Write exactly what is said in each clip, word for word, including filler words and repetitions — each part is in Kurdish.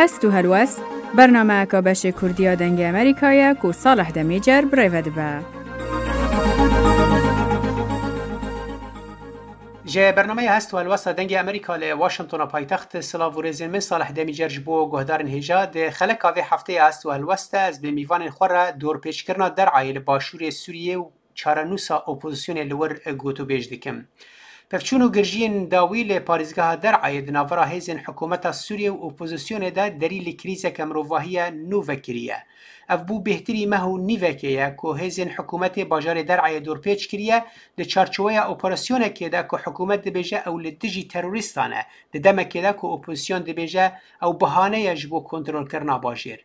Hest û helwest, bernameyeka beşê Kurdî ya Dengê Amerîkayê ye ku Salih Demîcer bi rê ve dibe. Ji bernameya Hest û Helwesta Dengê Amerîka li Washingtona paytext silav û rêzên min Salih Demîcer ji bo guhdarên hêja. Di xeleka vê hefteyê Hest û Helwest de ez bi mîvanên xwe re dorpêçkirina Der'ayê li başûrê Sûriyê û çarenûsa opozisyonê li wir gotûbêj dikim. Pevçûn û girjiyên dawî li parêzgeha Der'ayê di navbera hêzên hikûmeta Sûriyê û opozisyonê de derî li krîzeke mirovahiya nû vekiriye. Ev bû bêhtirî meh û nîvekê ye ku hêzên hikûmetê bajarê Der'ayê dorpêç kiriye, di çarçoweya operasyonekê de ku hikûmet dibêje ew li dijî terorîstan e, di demekê de ku opozisyon dibêje ew bahane ye ji bo kontrolkirina bajêr.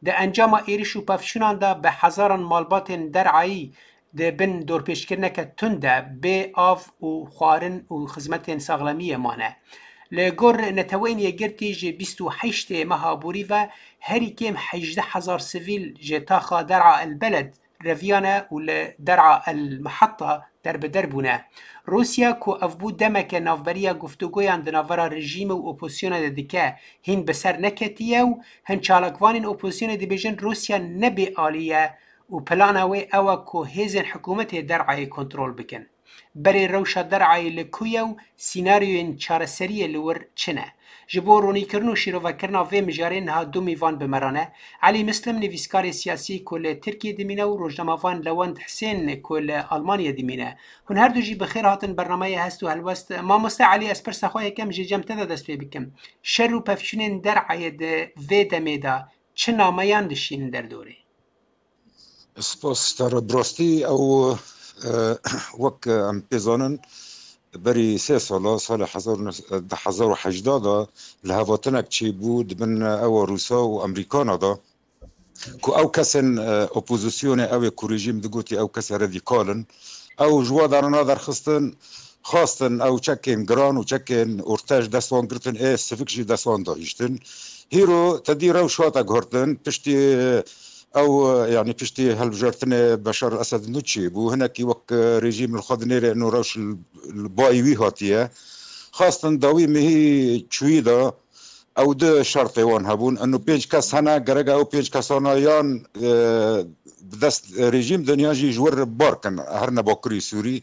Di encama êriş û pevçûnan de bi hezaran malbatên Der'ayî di bin dorpêçkirineke tund de bê av û xwarin û xizmetên saxlemiyê mane. Li gor Neteweyên Yekgirtî ji bîst û heştê meha borî ve herî kêm hejdeh hezar sivîl ji taxa Der'a El Beled reviyane û li Der'a El Mihetta derbider bûne. Rûsya ku ev bû demeke navberiya guftûgoyan di navbera rejîmê û opozisyonê de dike, hîn bi ser neketiye û hin çalakvanên opozisyonê dibêjin Rûsya ne bêalî ye û plana wê ew e ku hêzên hikûmetê Der'ayê kontrol bikin. Berê rewşa Der'ayê li ku ye û sînaryoyên çareseriyê li wir çi ne? Ji bo ronîkirin û şîrovekirina vê mijarê niha du mîvan bi me re ne. Elî Mislim, nivîskarê siyasî ku li Tirkiyê dimîne û rojnamevan Lewend Hisên ku li Almanyê dimîne. Hûn her du jî bi xêr hatin bernameyê Hest û Helwest. Mamoste Elî, ez pirsa xwe yekem jê cem te de dest pê bikim. Şer û pevçûnên Der'ayê di vê demê de çi nameyan dişînin derdorê? Spas ji te re. Bi rastî ew, e, wek em pê zanin, berî sê sala, salê hezar û neh, du hezar û hejdeh de lihevhatinek çêbû di bin ewa Rûsa û Amerîkana de, ku ew kesên, e, opozisyonê, ew ê ku rejîm digotî ew kesê radîkal in, ew ji wa derana derxistin, xwestin ew çekên giran û çekên orte ji dest wan girtin, ê sivik jî dest wan dahîştin. Hîro tedî rewş hate guhertin, piştî ew, e, yanî piştî hilbijartinê Beşar el Esed nû çêbû, hinekî wek, e, rejîm li xwe dinêre ino rewş li, li bayî wî hatiye. Xwestin dawî mehî çûyî de ew du şertê wan hebûn. Ino pênc kes hene, gerek ew pênc kesana yan, e, bi dest rejîm din yan jî ji wir bar kin, her ne Bakurî Sûrî.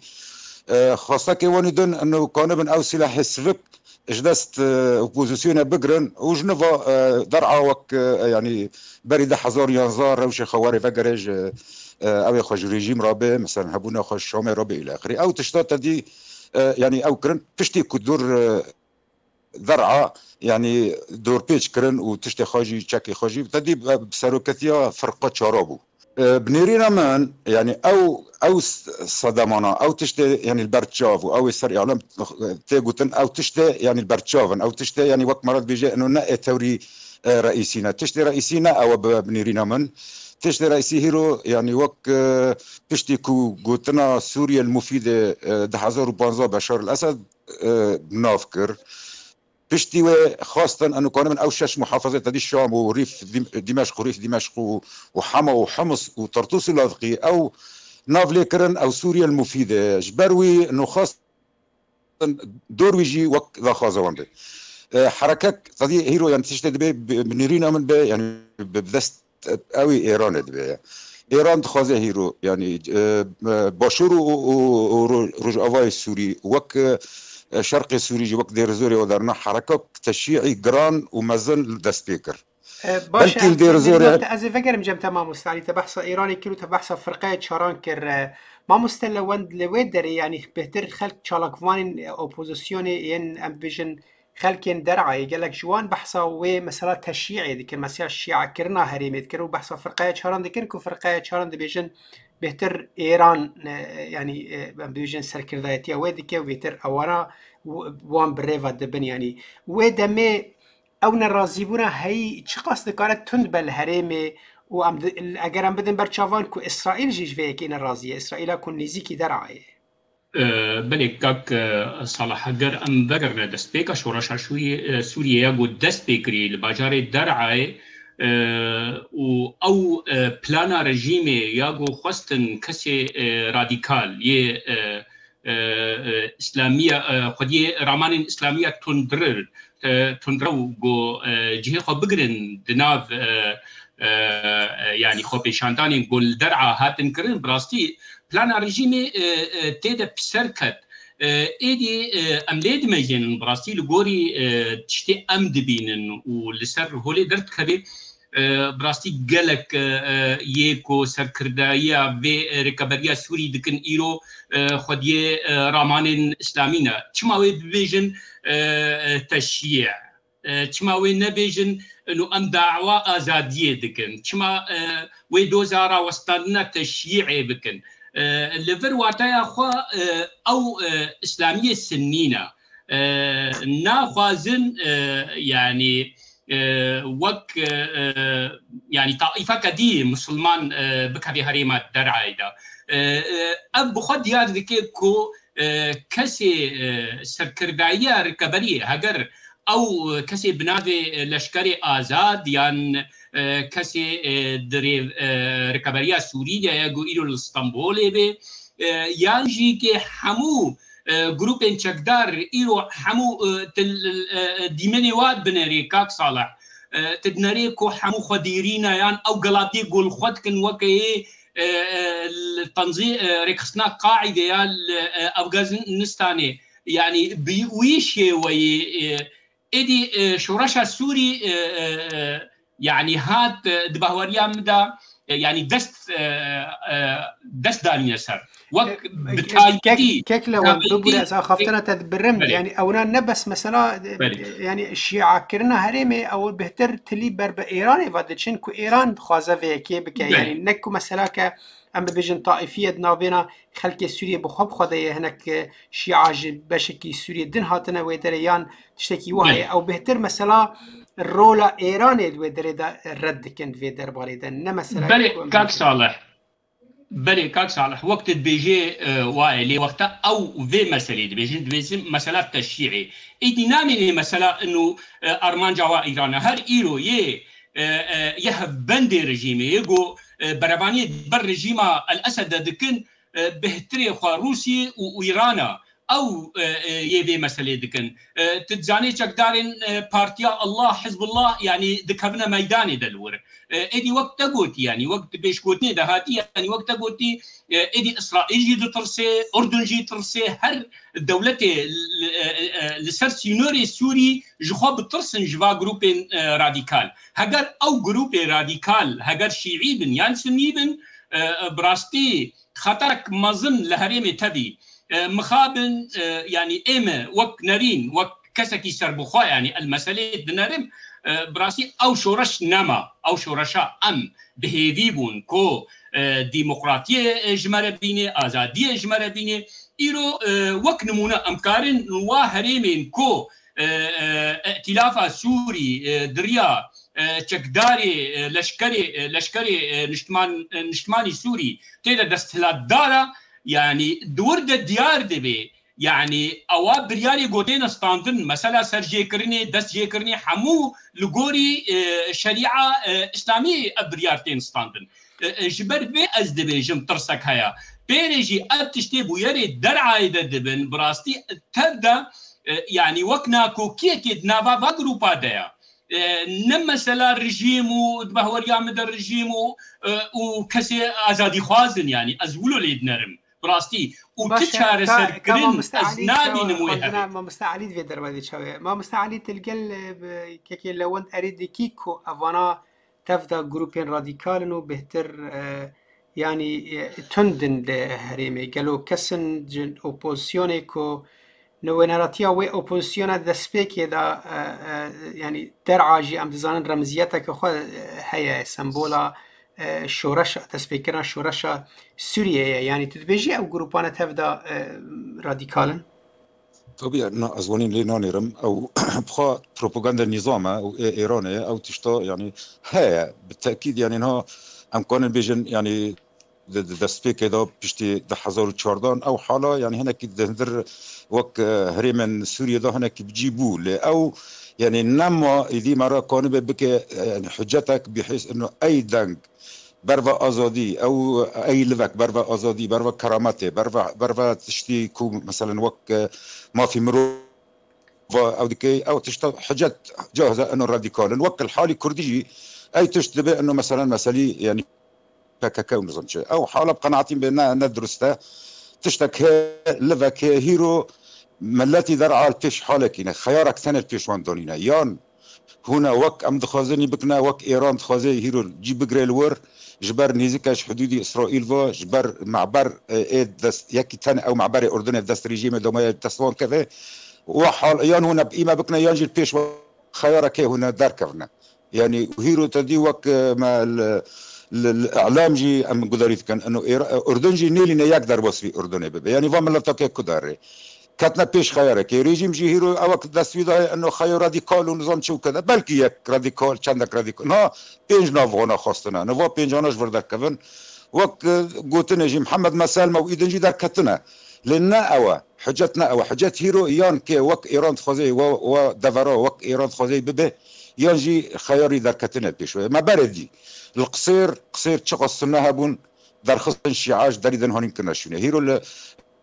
E, xwestekê wan ê din ino kanibin ew sîlehê sivik ji dest, e, opozisyonê bigirin û ji nû ve, e, Der'a wek, e, yanî berî du hezar û yanzdeh rewşê xwe werê vegere ji, e, ew ê xwe ji rejîm re bê, mesela hebûna xwe ji Şamê re bê îlexirî. Ew tişta tedî, e, yanî ew kirin piştî ku dûr, e, Der'a, yanî dorpêç kirin û tiştê xwe jî, çekê xwe jî, tedî bi seroketiya firqa çara bû. E, bi nêrîna min, yanî ew, ew s-, sedemana, ew tiştê, yanî li ber çav û ew ê ser îlam tê gotin, ew tiştê, yanî li ber çav in, ew tiştê, yanî wek me re dibêje, ino ne ê tewrî, e, reîsî ne. Tiştê reîsî ne ew e bi, bi nêrîna min. Tiştê reîsî hîro, yanî wek, e, piştî ku gotina Sûriye li mufîdê, e, du hezar û panzdeh Beşar el Esed, e, nav kir. Piştî wê xwestin eno kanibin ew şeş muhafazê tedî Şam û Rîf Dim-, Dimeşq û Rîf Dimeşq û, û Hema û Hims û Tartûs û Lazqî ew nav lê kirin ew Sûriye li mufîdê. Ji ber wî eno xwestin dor wî jî wek daxwaza wan be. E, herekek tedî hîro, yanî tiştê dibe bi, bi nêrîna min be, yanî bi, bi dest ew ê Êranê dibe ye. Êran dixwaze hîro, yanî, e, e, Başûr û, û, û, û Ro-, Rojavayê Sûrî wek, e, Şerqê Sûrî jî wek Dêrizorê û derna herekek teşî'î giran û mezin li dest pê kir. E, baş e, Belkî li Dêrizorê. Ez ê vegerim cem te mamoste Elî, te behsa Êranê kir û te behsa firqeya çaran kir. E, mamoste Lewend, li wê derê, yanî bêhtir xelk çalakvanên, e, opozisyonê yên, em bibêjin, xelkên Der'ayê gelek ji wan behsa wê mesela teşyî'ê dikin, mesela şî'ekirina herêmê dikin û behsa firqeya çaran dikin ku firqeya çaran dibêjin bêhtir Êran, e, yanî, e, em bibêjin serkirdayetiya wê dike û bêhtir ewana w-, wan bi rê ve dibin. Yanî wê demê ew nerazîbûna heyî çiqas dikare tund be li herêmê û em di-, eger em bidin ber çavan ku Îsraîl jî ji vê yekê nerazî ye, Îsraîla ku nêzîkî Der'ayê. E, belê kak, e, Salih, eger em vegerine destpêka şoreşa Şûriyê, e, Sûriyê ya ku dest pê kirî li bajarê Der'ayê, e, û ew, e, plana rejîmê ya ku xwestin kesê, e, radîkal yê, e, e, e, îslamiya, e, xwediyê ramanên îslamiya tundrir, e, tundrew ku, e, cihê xwe bigirin di nav, e, e, e, yanî xwepêşandanên ku li der'a hatin kirin, bi rastî plana rejîmê, e, e, tê de piser ket. E, êdî, e, em lê dimejînin, bi rastî li gorî, e, tiştê em dibînin û li ser holê derdikeve, e, bi rastî gelek, e, e, yê ku serkirdayiya vê, e, rêkeberiya Sûrî dikin îro, e, xwediyê, e, ramanên îslamî ne. Çima wê bibêjin, e, e, teşyî? E, çima wê nebêjin, inu em dawa azadiyê dikin? Çima, e, wê doza rawestandina teşyî'ê bikin? E, li vir wateya xwe, e, ew, e, îslamiyê sinnî ne. E, naxwazin, e, yanî, e, wek, e, e, yanî taîfeke dî misilman, e, bikevê herêma derayê de. E, e, ev bi xwe diyar dike ku, e, kesê, e, serkirdayiya rêkeberiyê, heger ew kesê bi navê, e, leşkerê azad yan, e, kesê, e, di rê, e, rêkeberiya Sûrî de ye, ku îro li Stenbolê be, e, yan jî ke hemû, e, grûpên çekdar îro hemû, e, til, e, e, dîmenê wa dibinêrê, kak Salih. E, tu dinerê ku hemû xwedîrî ne, yan ew gelatiyê ku li xwe dikin weke yê, e, e, li tenzî, e, rêkxistina Qaîde ya li, e, Afganistanê. Yanî bi wî şêweyê, e, êdî, e, şoreşa Sûrî, e, e, e, yanî hat, e, di bahweriya min de, e, yanî dest, e, e, dest danîne ser. Wek E, bi kek, taybetî, kek, kek Lewend, taybetî bibûre ez axaftina te dibirim. Belê. Yanî ewna ne bes mesela, e, Belê. yanî şîakirina herêmê, ew bêhtir tilî ber bi Êranê ve diçin ku Êran dixwaze vê yekê bike. Belê. Yanî ne ku mesela ke em bibêjin taîfiyet navbêna xelkê Sûriyê bi xwe bi xwe de ye, hinek, e, şîa ji beşekî Sûriyê din hatine wê derê yan tiştekî wiha ye. Belê. Ew bêhtir mesela rola Êranê di wê derê de red dikin, di vê derbarê de. Ne mesela Belê, ku em kak bêjin. Salih. Belê, kak Salih, wek tu dibêjê, e, wa ye, lê wexta ew vê meselê dibêjin, dibêjin mesela teşyî'ê. Êdî namînê mesela inu, e, armanca wa Îran e. Her îro yê, e, e, yê hevbendê rejîmê, yê ku, e, berevaniyê ber rejîma El Esed de dikin, e, bêhtirê xwe Rûsiyê û Îran e. Ew, e, e, yê vê meselê dikin. E, tu dizanê çekdarên, e, Partiya Allah, Hizbullah, yanî dikevine meydanê de li wir. E, êdî wek te gotî, yanî wek di pêşgotinê de hatî, yanî wek te gotî, e, êdî Îsraîl jî ditirsê, Urdun jî ditirsê, her dewletê li, e, e, e, li ser sînorê Sûrî ji xwe bitirsin ji va grûpên, e, radîkal. Heger ew grûpê radîkal, heger şîî bin yan sunî bin, e, e, bi rastî xeterek mezin li herêmê tevî. E, mixabin, e, yanî ê me wek nerîn, wek kesekî serbixwe, yanî el meselê dinerim, e, bi rastî ew şoreş nema. Ew şoreşa em bi hêvî bûn ku, e, demokratiyê, e, ji me re bînê, azadiyê ji me re bînê. Îro, e, wek nimûne em karin wa herêmên ku, e, e, Îtîlafa Sûrî, e, di riya, e, çekdarê, e, leşkerê, e, leşkerê, e, niştiman-, e, niştimanî Sûrî tê de desthilatdar e, yanî di wir de diyar dibe, yanî ewa biryarê ku têne standin, mesela serjêkirinê, destjêkirinê hemû li gorî, e, şerîa, e, îslamî ev biryar tên standin. E, e, ji ber vê ez dibêjim tirsek heye. Pêrê jî ev tiştê bûyerê derayê de dibin, bi rastî tev de, e, yanî wek nakokiyekê di nava va grûpa de ye. E, ne mesela rejîm û di bahweriya min de rejîm û, e, û kesê azadîxwaz in, yanî ez wilo lê dinerim. Bi rastî. Û ti Baş e, ka, çareserkirin ka mamoste ez Elî nabînim çawa wê xwendina hevê. Mamoste Elî divê dervadê çawa ye. Mamoste Elî, tu li gel, e, bi kekê Lewend erê dikî ku evana tev de grûpên radîkal in û bêhtir, e, yanî, e, tund in li herêmê. Gelo kes in ji opozisyonê ku nûneratiya wê opozisyona destpêkê de, e, e, yanî der'a jî em dizanin remziyeteke xwe, e, heye, sembola, e, şoreşa, destpêkirina şoreşa Sûriyê ye. Yanî tu dibêjî ew grûpane tev de, e, radîkal in? Tabii, na, ez wanî lê nanêrim. Ew bixwe propaganda nîzam e, ew ê Êranê ye, ew tişta, yanî, heye. Bi tekîd, yanî, niha em karin bêjin, yanî, di, di destpêkê de piştî du hezar û çardeh ew hala, yanî, hinekî di hundir wek, e, herêmên Sûriyê de hinekî bi cî bû. Lê ew, yanî, nema êdî me re kanibe bike, e, yanî, hiccetek bihês ino ey deng berva azadî, ew ey livek berva azadî, berva kerametê, berva, berva tiştî ku meselen wek, e, mafî mirov ew dike, ew tişta hicet cahze eno radîkal in. Wek li halî kurdî jî ey tişt dibe eno meselen meselî, yanî P K K û nizam çi. Ew hala bi qenaetî be ne, ne dirust e. Tiştek heye, livek heye, hîro miletî der'a li pêş halekî ne. Xeyarak tenê li pêş wan danîne. Yan hûne wek em dixwazin î bikine, wek Êran dixwaze hîro cî bigire li wir, ji ber nêzîke ji hidûdî Îsraîl ve, ji ber meber, e, ê dest, yekî tenê ew meberê Urdunê dest rejîmê damaye dest wan keve. Wa hal, yan hûne î me bikine, yan jî li pêş xeyareke hûne derkevine. Yanî hîro te dî wek, e, me li, li, li îlam jî em gudarî dikin. Eno Êra-, Urdun jî nêlîne yek derbas vî Urdunê bibe. Yanî va mileteke ku derê ketine pêş xeyarekê. Rejîm jî hîro ewek dest wî daye eno xeyo radîkal û nizam çi û kede. Belkî yek radîkal, çendek radîkal. Niha pênc nav wana xwestine. Niha va pêncana ji vir derkevin. Wek, e, gotinê jî Mihemed Meselme û îdin jî derketine. Lê ne ew e. Hicet ne ew e. Hicet hîro yan ke wek Êran dixwaze, we, we devera wek Êran dixwaze bibe, yan jî xeyarî derketine pêş we. Me berê dî. Li Qisêr, Qisêr çiqas sune hebûn, derxistin şîa ji derî din hanîn kirine şûnê. Hîro li,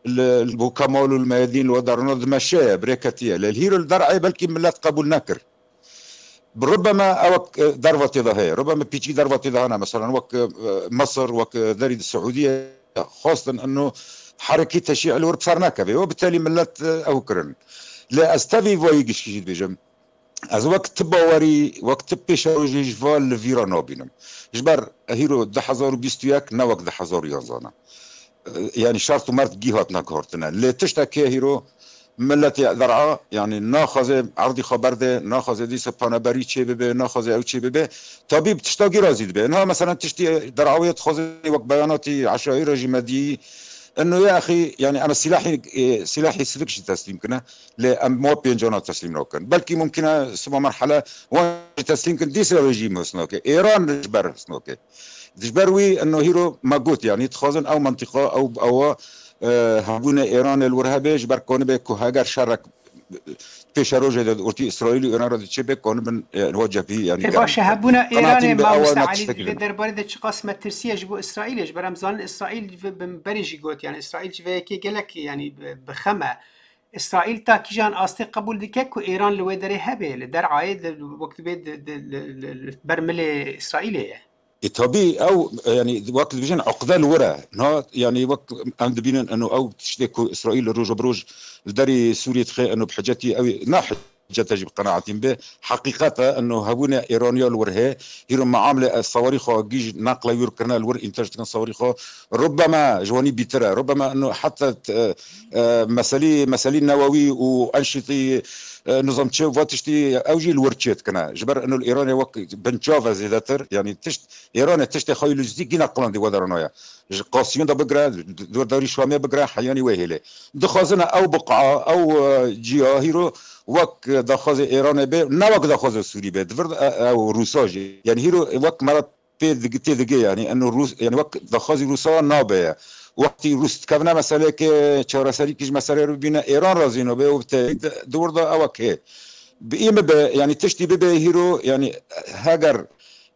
li, li bo Kemal û li Meyedîn li we derna dimeşe ye, birêketiye. Lê hîro li der'ê belkî milet qebûl nekir. Rubeme ewek, e, derva tê de heye. Rubeme pîçî derva tê de hene. Meselen wek, e, Mesir, wek, e, derî di Siûdiye xwestin eno herekî teşî li wir bi ser nekeve. Û bi telî milet, e, ew kirin. Lê ez tevî vayî gişkî jî dibêjim. Ez wek ti bawerî, wek ti pêşerojî ji va li vîra nabînim. Ji ber hîro du hezar û bîst û yek ne wek du hezar û yanzan e. E, yanî şert û mert gî hatine guhertine. Lê tiştek heye hîro miletê der'a, yanî naxwaze erdî xwe berde, naxwaze dîsa paneberî çê bibe, naxwaze ew çê bibe. Tabî bi tişta gî razî dibe. Niha meselen tiştî der'awê dixwaze wek beyanatî eşaîra jî me dî. Eno ya exî, yanî em silahî, e, silahî sivik jî teslîm kine. Lê em ma pêncana teslîm nakin. Belkî mumkin e siba merhele wan jî teslîm kin, dîsa rejîm his nake. Êran ji ber his nake. Ji ber wî eno hîro me got, yanî dixwazin ew mentiqa, ew, ewa, e, hebûne Êranê li wir hebe, ji ber konibe ku heger şerek pêşerojê de ortî Îsraîl û Êran re diçe be, konibin, e, wa cephî, yanî E, germ baş e, bikin. Hebûna Qenaetî Êranê, min be ewa Mamoste me Elî, tiştekî li vê derbarê de çiqas metirsî ye ji bo Îsraîlê, ji ber em zanin Îsraîl bi, bi berê jî got, yanî Îsraîl ji vê yekê gelek, yanî bi, bi xem e. Îsraîl ta kîjan astê qebûl dike ku Êran li wê derê hebe, li der'ayê de, wek dibê di, di, li, li, li ber milê Îsraîlê ye? E, tabî ew, e, yanî wek dibêjin eqde li wir e. Na, yanî wek em dibînin eno ew tiştê ku Îsraîl li roja bi roj li derê Sûriyê dixe, eno bi hicetî ew ê, na hicete jî bi qenaetî min be. Heqîqet e, eno hebûne Êraniya li wir heye. Hîro meamlê ez sawarî xwe gîj neqle wîr kirine li wir înteş dikin sawarî xwe. Rubeme ji wanî bîtir e. Rubeme eno heta, e, e, meselî, meselî newewî û enşîtî, e, nizam çi va tiştî ew jî li wir çê dikine. Ji ber eno li Îranê wek binçav e zêdetir. Yanî tişt, Îranê tiştê xwe yî lojîstîkî neqilandî we deranoya. Ji Qasîmê de bigire, dordarî Şamê bigire, heyanî wê hêlê. Dixwazine ew biqa, ew, e, ciya hîro wek daxwazê Îranê be, ne wek daxwazê Sûrî be. Di vir, e, ew Rûsa jî. Yanî hîro wek me re pê dig-, tê digê, yanî eno Rûs, yanî wek daxwazî Rûsa nabe ye. Wextî Rûs dikevine meseleyeke çareserî kî ji meseleyê re bibîne, Îran razî nabe û bi tevî di, di wir de ewek hê. Bi î min be, yanî tiştî bibe hîro, yanî heger,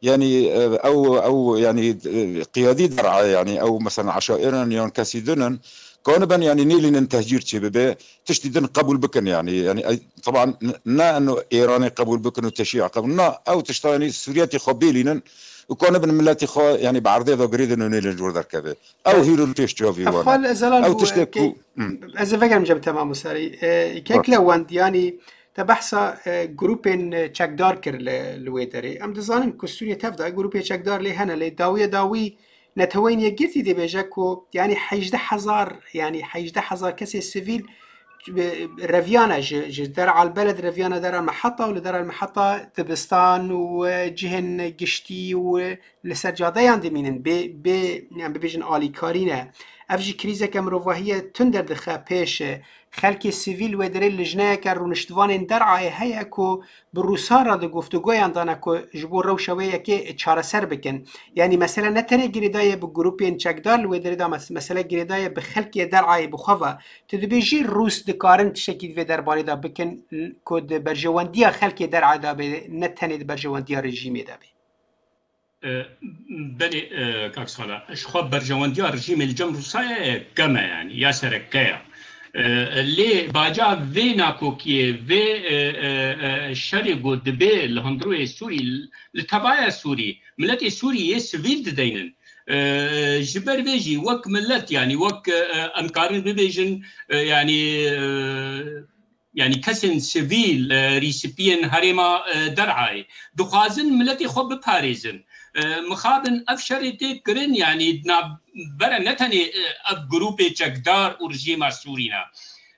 yanî, e, ew, ew, yanî, e, qiyadî der'e, yanî ew mesela eşaîrin yan kesî din in, kanibin, yanî nêlînin tehcîr çê bibe, tiştî din qebûl bikin, yanî, yanî, e, teban n-, ne eno Îranê qebûl bikin û teşî'a qebûl, na, ew tişta, yanî Sûriyetê xwe bêlînin û kanibin miletî xwe, yanî bi erdê de girêdin û nêlin ji wir derkeve. Ew hîro li pêş çavî wan e. Ew tiştê ku, hmm. Ez ê vegerim cem te Mamoste Elî. E, kek Lewend, yanî te behsa, e, grûpên, e, çekdar kir li, li wê derê. Em dizanin ku Sûriye tev de grûpê çekdar lê hene, lê dawiya dawî Neteweyên Yekgirtî dibêje ku, yanî hejdeh hezar, yanî hejdeh hezar kesê sivîl, e, reviyane ji, ji Der Al Beled reviyane Der Al Meheta û li Der Al Meheta dibistan û, e, cihên giştî û li ser cadeyan dimînin, bê, bê, em bibêjin alîkarî ne. Ev jî krîzeke mirovahî ye tund derdixe pêş. Xelkê sivîl wê derê lijneyeke rûniştvanên der'ayê heye ku bi Rûsan re di guftûgoyan de ne ku ji bo rewşa wê yekê çareser bikin. Yanî mesele ne tenê girêdayê bi grûpên çekdar li wê derê de, mes-, mesele girêdayê bi xelkê der'ayê bi xwe ve. Tu dibêjî Rûs dikarin tiştekî di vê derbarê de bikin ku di berjewendiya xelkê der'ayê de bê, ne tenê di berjewendiya rejîmê de bê? E, belê, e, kak Sala, ji xwe berjewendiya rejîmê li cem Rûsyayê kem e, yanî ya sereke ye. E, lê baca vê nakokiyê, vê, e, e, e, şerê ku dibê li hundirûyê Sûrî, li tevaya Sûrî, miletê Sûrî yê sivîl dideynin. E, ji ber vê jî wek milet, yanî wek, e, em karin bibêjin, e, yanî, e, yanî kesên sivîl, e, rîsipiyên herêma, e, Derayê dixwazin miletê xwe biparêzin. E, mixabin ev şerê tê kirin, yanî di navbera ne tenê, e, ev grûpê çekdar û rejîma Sûrî ne.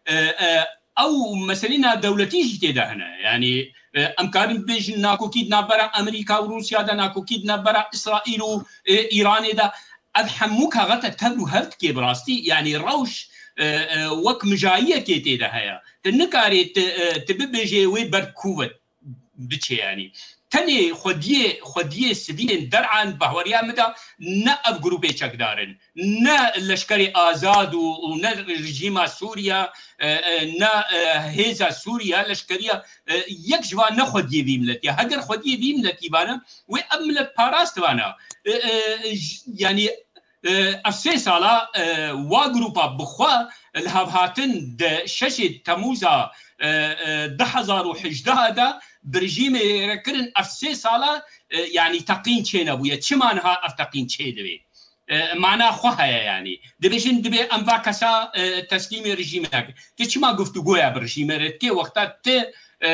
E, e, ew meselê navdewletî jî tê de hene. Yanî, e, em karin bibêjin nakokî di navbera Amerîka û Rûsya de, nakokî di navbera Îsraîl û, e, Îranê de. Ev hemû kaxete tevr û hev dike bi rastî, yanî rewş, e, e, wek mijayiyekê tê de heye. Tu nikarê tu, e, tu bibêjê wê ber ku ve biçe, yanî. Tenê xwediyê, xwediyê sivîlên Der'an bahweriya min de ne ev grûpê çekdar in, ne leşkerê azad û, û ne rejîma Sûriya, e, e, ne, e, hêza Sûriya, leşkeriya, e, yek ji van ne xwediyê vî miletî ye. Heger xwediyê vî miletî vane, wê ev milet parast vana. E, e, j-, yanî, e, ev sê sala, e, wa grûpa bi xwe li hevhatin di şeşê Temûza, e, e, du hezar û hejdeh de bi rejîmê re kirin, ev sê sala, e, yanî teqîn çênebûye. Çima niha ev teqîn çêdibê? E, mana xwe heye, yanî. Dibêjin, dibê em va kesa, e, teslîmê rejîmê nekin. Tu çima guftûgoya bi rejîmê re dikê, wexta tu, e, e,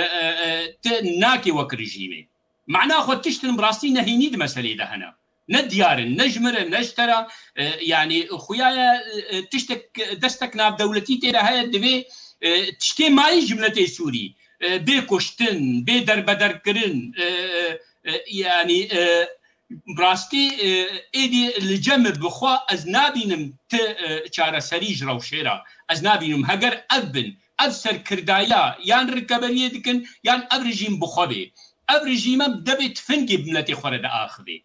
e, tu nakê wek rejîmê? Mana xwe tiştin bi rastî nehînî di meselê de hene. Ne diyar in, ne ji min re, ne ji te re. E, yanî xuya ye, e, tiştek, destek navdewletî tê de heye, divê, e, tiştê mayî ji miletê Sûrî, e, bê kuştin, bê derbederkirin, e, e, e, yanî, e, bi rastî, e, êdî li cem min bi xwe ez nabînim ti, e, çareserî ji rewşê re. Ez nabînim heger ev bin, ev serkirdaya yan rikeberiyê dikin, yan ev rejîm bi xwe bê. Ev rejîme bi devê tifingê bi miletê xwe re diaxivê.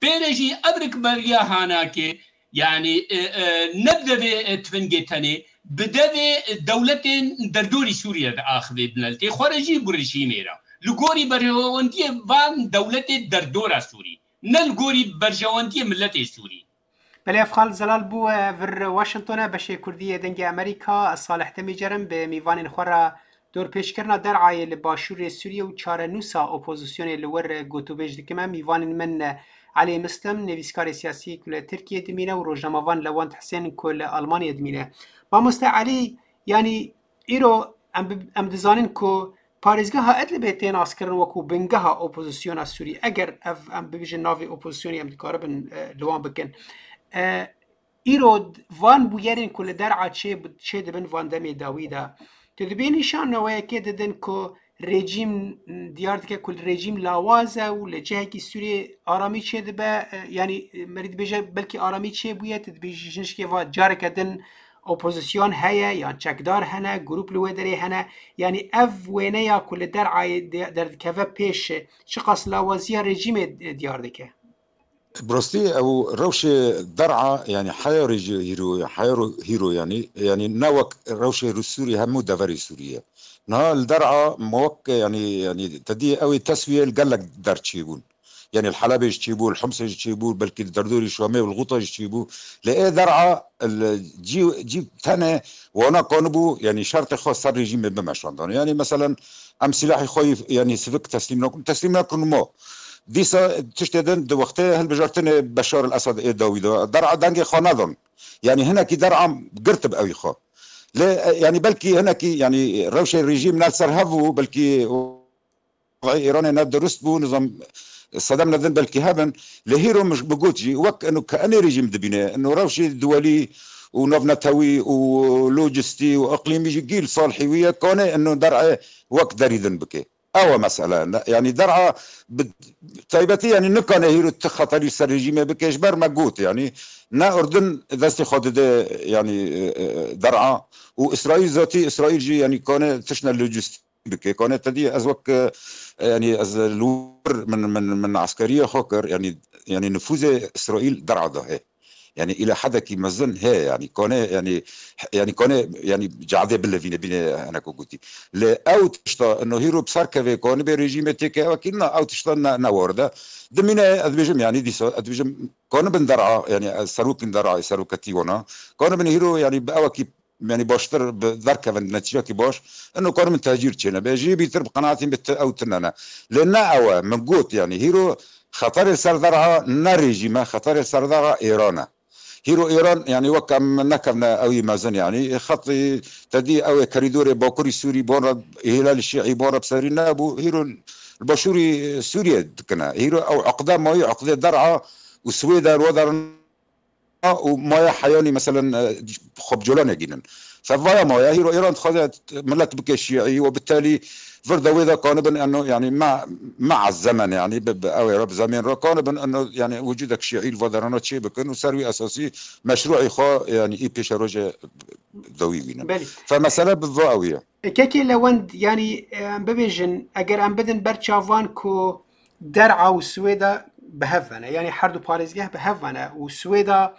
Pê re jî ev rikberiya hanakê, yanî, e, e, ne bi devê, e, tifingê tenê, bi devê, e, dewletên derdorî Sûrî re diaxivê, bi miletê xwe re jî, bi rejîmê re. Li gorî berjewendiyê van dewletê derdora Sûrî, ne li gorî berjewendiyê miletê Sûrî. Belê, ev Xalid Zelal bû, e, vir Washington e, beşê Kurdî yê Dengê Amerîka. Ez Salih Demîcer im, bi mîvanên xwe re dorpêçkirina Der'ayê li başûrê Sûriyê û çarenûsa opozisyonê li wir gotûbêj dikim. Em mîvanên min, e, Elî Mislim, nivîskarê siyasî ku li Tirkiyê dimîne, û rojnamevan Lewent Hisên ku li Almanyê dimîne. Mamoste Elî, yanî îro em bi-, em dizanin ku parêzgeha Idlibê tê naskirin wekû bingeha opozisyona Sûrî. Eger ev, em bibêjin, navê opozisyonê em dikaribin, e, li wan bikin. E, îro d-, van bûyerên ku li Der'a çê bi-, çê dibin van demê dawî de, tu dibê nîşaneweyekê didin ku rejîm diyar dike ku rejîm lawaz e û li cihekî Sûriyê aramî çê dibe, e, yanî, e, merî dibêje belkî aramî çê bûye, tu dibêjî jinişkê va careke din opozisyon heye yan çekdar hene, grûp li wê derê hene. Yanî ev wêneya ku li Der'ayê de-, derdikeve pêş, çiqas lawaziya rejîmê, e, diyar dike? Bi rastî ew rewşê Der'a, yanî heya rejî hîro, heya ro-, hîro, yanî, yanî ne wek rewşê Rû-, Sûrî hemû deverê Sûrî ye. Niha li Der'a me wek, yanî, yanî te dî ew ê teswiyê li gelek der çêbûn. Yanî li Helebê jî çêbû, li Humsê jî çêbû, belkî li derdorî Şamê û li Xûta jî çêbû. Lê ê Der'a li cî, cî tenê wana kanibû, yanî şertê xwe ser rejîmê bimeşandan. Yanî meselen em silahê xwe yî, yanî sivik teslîm nakin, teslîm nakin mo. Dîsa tiştê din di wextê hilbijartinê Beşar el Esad ê dawî de Der'a dengê xwe nedon. Yanî hinekî Der'a girtib ewî xwe. Lê, e, yanî belkî hinekî, yanî rewşê rejîm ne li ser hev bû, belkî wextê Îranê ne dirust bû, nizam sedem nedin belkî hebin. Lê hîro min bi got jî, wek eno ke enê rejîm dibîne, eno rewşê duwelî û navnetewî û lojistî û iqlîmî jî gîl salihî wî ye, kane eno Der'ê wek derî din bike. Ew e mesele. Ne, yanî Der'a bi taybetî, yanî nikane hîro ti xeterî ser rejîmê bike, ji ber me got, yanî ne Urdun destê xwe dide, yanî, e, e, Der'a û Îsraîl zatî, Îsraîl jî, yanî kane tiştine lojistî bike. Kane te dî ez wek, e, yanî ez li wir min, min, min eskeriya xwe kir, yanî, yanî nifûzê Îsraîl Der'a de heye. Yani îla hedekî mezin heye, yani kone, yani, yani kone, yani cadê bilevîne bîne hene ku gotî. Lê ew tişta ino hîro bi ser kevê kanibê rejîmê têke ewekî na, ew tişta ne, ne war de. Dimîne ez dibêjim, yani dîsa ez dibêjim kanibin der'a, yani serokên der'a, seroketî wana. Kanibin hîro, yani bi ewekî, yani baştir bi derkevin netîcekî baş. Ino kanibin tecîr çêne. Bê jî bîtir bi qenaetî bi ti ew tine ne. Lê ne ew e, min got, yani hîro xeterê ser der'a ne rejîm e, xeterê ser der'a Êran e. Hîro Êran, yani wek em nekevne ew yî mezin, yani xetî tedî ew ê kerîdorê Bakurî Sûrî bon re, Hîlalî Şîî bon re bi serî nebû. Hîro li Başûrî Sûriyê dikine. Hîro ew eqde mayî, eqdê der'a û Swêde li we derin û maya heyanî, meselen, e, xwe bi cola negînin. Fevaya maya, hîro Îran dixwaze millet bike şîî û bi telî vir de wê de kanibin eno, yani me, me ez zemen, yani bi, bi ew ê re, bi zemên re kanibin eno, yani wicudek şîî li va derana çê bikin û ser wî esasî meşrûî xwe, yani î pêşerojê dawî bînin. Belê. Fe mesele bi va ew ye. Kekê Lewend, yanî, em bibêjin, eger em bidin ber çavan ku der'a û Swêda bi hev ve ne, yanî her du parêzgeh bi hev ve ne û Swêda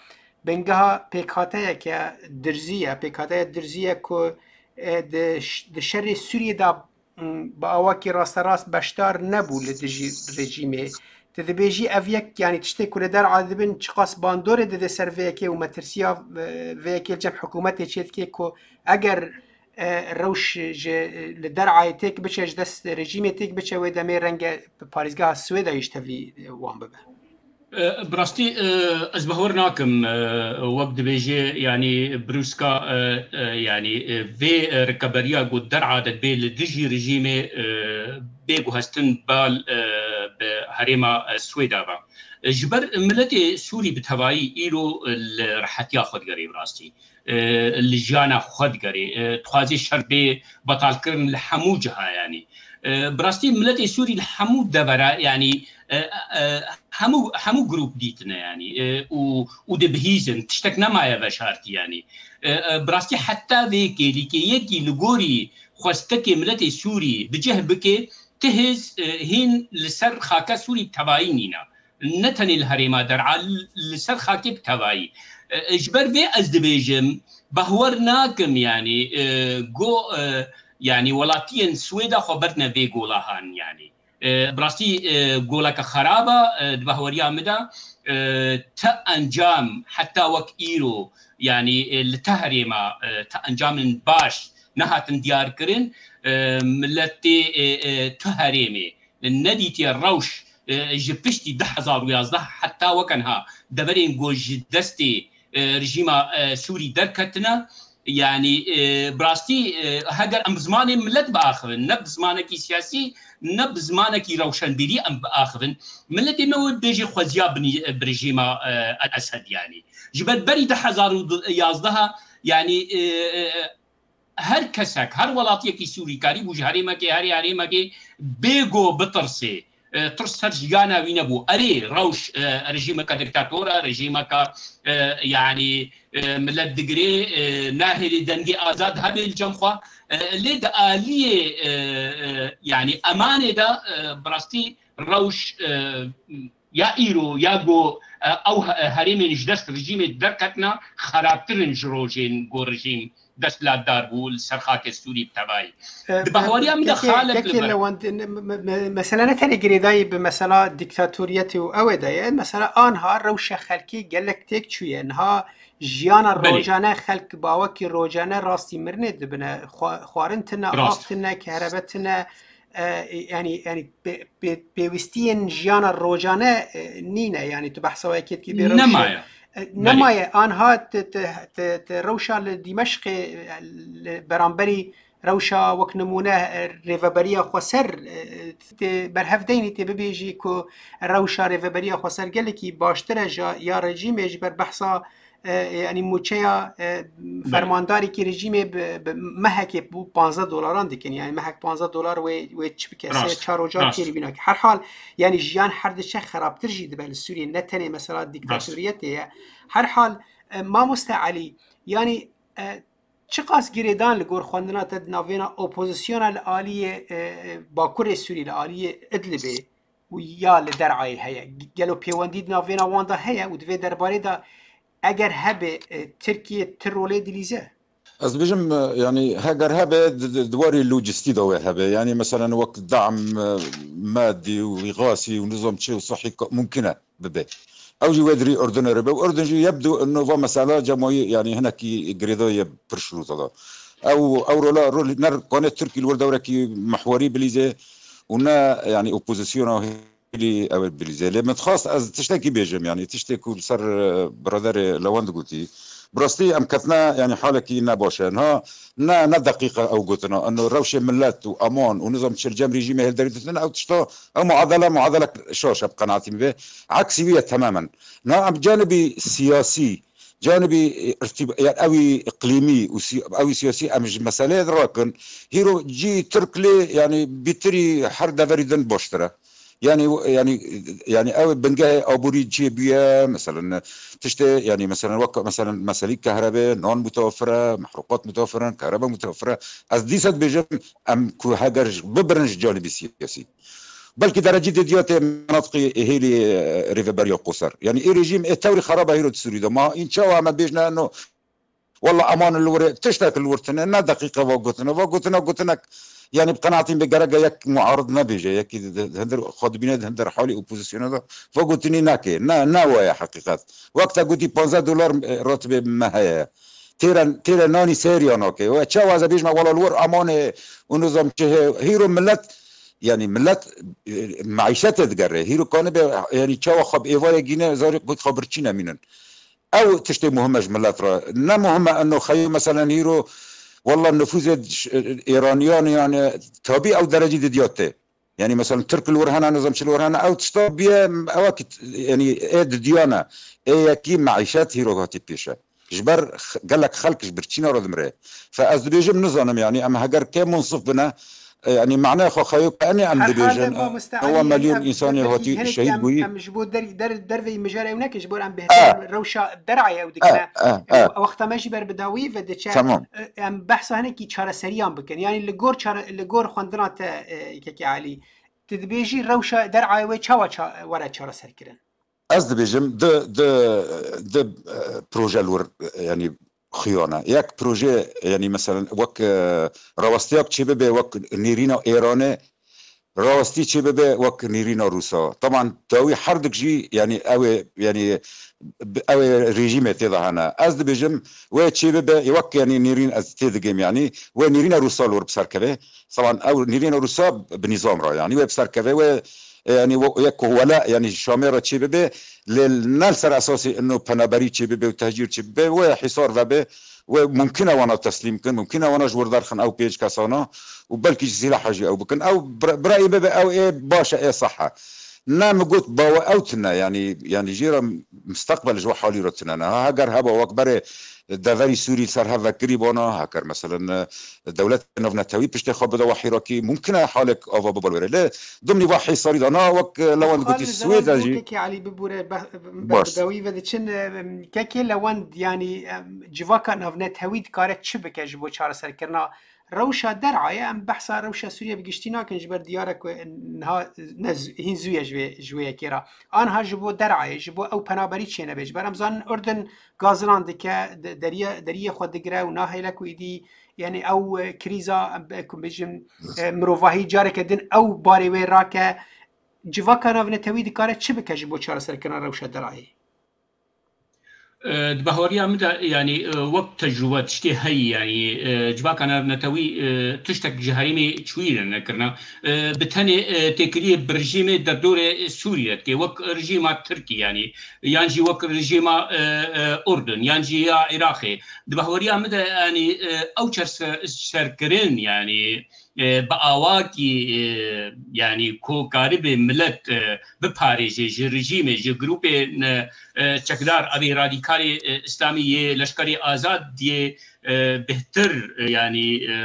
bingeha pêkhateyeke dirzî ye, pêkhateya dirzî ye ku, e, di ş-, di şerê Sûriyê de, m, bi awakî rasterast beşdar nebû li dijî rejîmê. Tu dibêjî ev yek, yanî tiştê ku li der'a dibin çiqas bandorê dide ser vê yekê û metirsiya, e, vê yekê li cem hikûmetê çêdike ku eger e, rewş ji, e, li derayê têk biçe, ji dest rejîmê têk biçe, wê demê renge bi parêzgeha Swêdayê ji tevî, e, wan bibe. E, bi rastî, e, ez bawer nakim, e, wek dibêje, yanî brûska, e, e, yanî, e, vê, e, rikeberiya ku der'a de dibê li dijî rejîmê, e, bê guhestin bal, e, bi herêma, e, Swêda ve. E, ji ber miletê Sûrî bi tevayî îro, e, li rehetiya xwe digerê bi rastî. E, li jiyana xwe digerê. E, dixwazê şer bê betalkirin li hemû ciha, yanî. E, bi rastî miletê Sûrî li hemû devera, yanî, e, e, hemû, hemû grûp dîtine, yanî, e, û, û dibihîzin. Tiştek nemaye veşartî, yanî. E, e, bi rastî heta vê kêlîkê yekî li gorî xwestekê miletê Sûrî bi cih bike, ti hêz, e, hîn li ser xaka Sûrî bi tevayî nîne. Ne tenê li herêma der'a, li ser xakê bi tevayî. E, ji ber vê ez dibêjim, behwer nakim, yanî, e, go, e, yanî welatiyên Swêda xwe berdine vê golahan, yanî. E, bi rastî, e, goleke xerab e, e, di behweriya min de, e, ti encam heta wek îro, yanî, e, li ti herêma, e, ti encamên baş nehatin diyarkirin, e, miletê, e, e, ti herêmê nedîtiye rewş, e, ji piştî du hezar û yazdeh heta weke niha deverên ku ji destê, e, rejîma, e, Sûrî derketine. Yanî, e, bi rastî, e, heger em bi zimanê milet biaxivin, ne bi zimanekî siyasî, ne bi zimanekî rewşenbîrî em biaxivin, miletê me wê bêjî xweziya binî-, bi rejîma, e, El Esed, yanî. Ji ber berî du hezar û yazdeh, yanî, e, e, her kesek, her welatiyekî Sûrî karîbû ji herêmekê, herê herêmekê bê go bitirsê. E, tirs ser jiyana wî nebû. Erê, rewş, e, rejîmeke diktator e, rejîmeke, e, yanî, e, milet digirê, e, nahêlê dengê azad hebe li cem xwe. E, lê di aliyê, e, e, yanî emanê de, e, bi rastî rewş, e, ya îro, ya go, e, ew he-, herêmên ji dest rejîmê derketine, xerabtir in ji rojên go rejîm desthilatdar bû, li ser xakê Sûrî bi tevayî. E, di bahweriya min de kekê, xalek li kekê ber. Lewand, me-, me-, me-, mesele ne tenê girêdayî bi mesela dîktatoriyetê û ew ê de ye. Mesela anha rewşa xelkê gelek têk çûye. Niha jiyana Belê. rojane xelk bawekî rojane rastî mirinê dibine. Xwa-, xwarin tine, av Rast. tine, kehrebe tine. E, yanî, yanî pê-, pê-, pêwîstiyên jiyana rojane, e, nîne. Yanî tu behsa wê kêtkî bê rewşê. Nemaye. E, Belê. nemaye. Anha ti, ti, ti, ti rewşa li Dîmeşqê, e, li beramberî rewşa wek nimûne, e, rêveberiya xweser, e, tê berhev deynî tê bibêjî ku rewşa rêveberiya xweser gelekî baştir e ji ya rejîmê ji ber behsa, e, yanî mûçeya, e, Belê. fermandarekî rejîmê bi, bi mehekê bû panzdeh dolaran dikin. Yanî mehek panzdeh dolar wê, wê çi bike? Sê Rast, çar roja rast. têrî bîna ki. Her hal, yanî jiyan her diçe xerabtir jî dibe li Sûriyê. Ne tenê mesela Rast. dîktatoriyetê ye. Her hal, e, mamoste Elî, yanî, e, çiqas girêdan li gor xwendina te di navbêna opozisyona li aliyê, e, e, Bakurê Sûrî, li aliyê Idlibê û ya li derayê heye? Gelo pêwendî di navbêna wan de heye û di vê derbarê de Eger hebe, e, Tirkiye ti rolê dilîze? Ez dibêjim, e, yanî heger hebe di, di, di warê lojistî de wê hebe. Yanî meselen wek dam, e, madî û îxasî û nizam çi û sihî ka-, mumkin e bibe. Ew jî wê dirî Urdunê re be. Û Urdun jî yebdu ino va mesela cemayî, yanî hinekî girêdayî ye pir şirûta de. Ew, ew rola, rol, ne kanê Tirkî li wir dewrekî mihwerî bilîze û ne, yanî, opozisyona hêlî ew ê bilîze. Lê min dixwast ez tiştekî bêjim, yanî tiştê ku li ser, e, biraderê Lewend gotî. Bi rastî em ketine, yanî, halekî ne baş e. Niha ne, ne deqîqe ew gotina. Ino rewşê milet û aman û nizam çi li cem rejîmê hêlderî ditin, ew tişta, ew muadele, muadelek şaş e bi qenaetî min be. Eksî wî ye temamen. Niha em canibî siyasî, canibî, e, irtîb-, yani ewî iqlîmî û sî-, ewî siyasî em ji meseleyê rakin. Hîro cî Tirk lê, yani bîtirî her deverî din baştir e. Yani, yani, yani ew bingehê aborî çê bûye, meselen, tiştê, yani meselen, wek, meselen, meselî kehrebê, nan mutewefir e, mehruqat mutewefir in, kehrebe mutewefir e. Ez dîsa dibêjim, em ku heger ji, bibirin ji canibî siyasî. Belkî derecî didiyatê menatiqî hêlî, e, rêveberiya Qoser. Yani ê rejîm ê tewrî xeraba hîro di Sûrî de. Ma în çawa me bêjne no, walla aman li wir e, tiştek li wir tune, ne deqîqe va gotine. Va gotine, gotinek, yani bi qenaetî min be gerek e yek muarid nebêje, yekî di, di, di hindir xwe dibîne, di hindir halî opozisyona de, va gotinî nake. Ne, ne wa ye heqîqet. Wek te gotî panzdeh dolar, e, ratibe me heye. Têre, têre nanî sêriya nake. We çawa ez ê bêjime, wela li wir aman e û nizam çi heye. Hîro milet, yani milet, e, meîşetê digere. Hîro kanibe, yani çawa xwe bi êvarê gîne, zarê xwe birçî nemînin. Ew tiştê muhim e ji milet re. Ne muhim e eno xeyo, meselen, hîro, walla nifûzê ş-, Êraniyan, yani, tabî ew derecî didiya tê. Yani, meselen, Tirk li wir hene, nizam çi li wir hene, ew tişta biye, ewa ki, yani, ê didiya ne. Ê yekî meîşet hîro hatî pêş e. Ji ber x-, gelek xelk ji birçîna re dimire. Fe ez dibêjim, nizanim, yani, em heger kê munsif bine, e, yani, manaya xwe xeyo ke enê em Her halde dibêjin, mamoste ewa Elî, milyon em, insanê belkî hatî hinekî şehîd em, bûyî. Em ji bo der-, der-, derveyî mijarê ew nekin, ji bo em bêhtir rewşa derayê ew dikine. E, e, e. Wexta me jî ber bi dawî ve diçe, Tamam. e, em behsa hinekî çareseriyan bikin. Yani li gor çare-, li gor xwendina te, e, Kekê Elî, tu dibêjî rewşa derayê wê çawa ça-, were çareserkirin? Ez dibêjim, di, di, di, e, proje li wir, e, yani, xiyane. Yek proje, yani, meselen, wek, e, rawestiyek çê bibe, wek nêrîna Êranê, rawestî çê bibe, wek nêrîna Rûsa. Taban, dawî herdik jî, yani, ew ê, yani, bi-, ew ê rejîmê tê de hene. Ez dibêjim, wê çê bibe, wek, yani, nêrîn ez tê digêm, yani, wê nêrîna Rûsa li wir bi ser keve. Taban, ew nêrîna Rûsa bi nîzam re, yani, wê bi ser keve, wê, e, yani, we-, yek ku wela, yani, Şamê re çê bibe, lê ne li ser esasê ino penaberî çê bibe û tehcîr çê bibe, wê hîsar vebe, wê mumkin e wana teslîm kin, mumkin e wana ji wir derxin ew pênc kesana û belkî ji sîlaha jî ew bikin. Ew bira-, birayê bibe, ew ê baş e, ê seh e. Ne min got bawe ew tune, yani, yani, jê re mustaqbel ji we halî re tune ne. Ha, heger heba wek berê deverî Sûrî li ser hev vekirî bona, heker, meselen, dewlet navnetewî piştê xwe bide we hîrakî, mumkin e halek ava bibe li were. Lê dimnî ve hîsarî de na wek, e, Lewend gotî, Swêd e jî. Kekê Elî bibûre, be-, be-, Baş. Bi dawî ve diçin, e, Kekê Lewend, yanî, em, civaka navnetewî dikare çi bike ji bo çareserkirina rewşa derayê? Em behsa rewşa Sûriye bi giştî nakin, ji ber diyar e ku niha ne z-, hîn zû ye ji vê, ji wê yekê re. Anha ji bo derayê, ji bo ew penaberî çênebe. Ji ber em zanin Urdun gazinan dike, de-, deriye, deriyê xwe digire û nahêle ku êdî, yani ew, e, krîza, e, ku bêjim, e, mirovahî careke din ew barê wê rake. Civaka navnetewî dikare çi bike ji bo çareserkirina rewşa derayê? E, di bahweriya min de, yani, e, wek tecrûbe tiştê heyî, yani, e, civaka navnetewî, e, tiştek ji herêmê çûyî re nekirine. E, bi tenê, e, têkiliyê bi rejîmê derdorê Sûrî re dike, wek rejîma Tirkî, yani, yan jî wek rejîma, e, e, Urdun, yan jî ya Iraqê. Di bahweriya min de, yani, e, ew çerse-, serkirin, yani, e, bi awakî, e, yani, ku karibe milet, e, biparêje ji rejîmê, ji grûpên, e, e, çekdar, evê radîkalê, e, îslamî yê Leşkerê Azad yê, e, bêhtir, e, yani, e,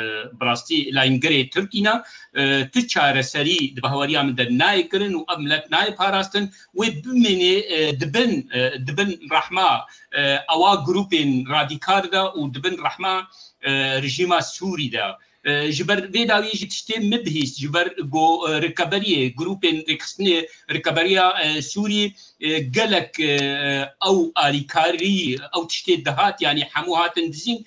bi rastî layîngerê Tirkî ne, e, tu çareserî di bahweriya min de nayê kirin û ev milet nayê parastin, wê bimînê, e, di bin, e, di bin rehma, e, ewa grûpên radîkal de û di bin rehma, e, rejîma Sûrî de. Ji ber vê dawiyê jî tiştê min bihîst, ji ber ku rikeberiyê, grûpên rêxistinê, rikeberiya Sûrî gelek ew alîkarî, ew tiştê dihat, yanî hemû hatin dizîn.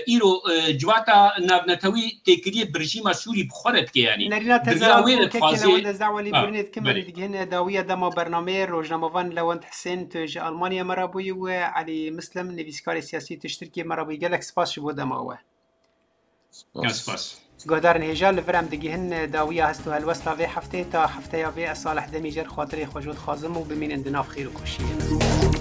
Îro civata navnetewî têkiliyê bi rejîma Sûrî bi xwe re dike, yanî Nerîna te giriya zelal wê re bû, kekê dixwaze. Newende Zewalî Ha, Burnê dikim, belê. Em digihîne dawiya dema bernameyê. Rojnamevan Lewend Hisên, tu ji Almanya me re bûyî û Elî Mislim, nivîskarê siyasî, tu ji Tirkiyê me re bûyî. Gelek spas ji bo dema we. Ya spas. Guhdarên hêja, li vir em digihin dawiya hest û helwesta vê heftê. Ta hefteya vê, ez Salih Demîcer xatirê xwe ji we dixwazim û bimînin di nav xêr û xweşiyê de.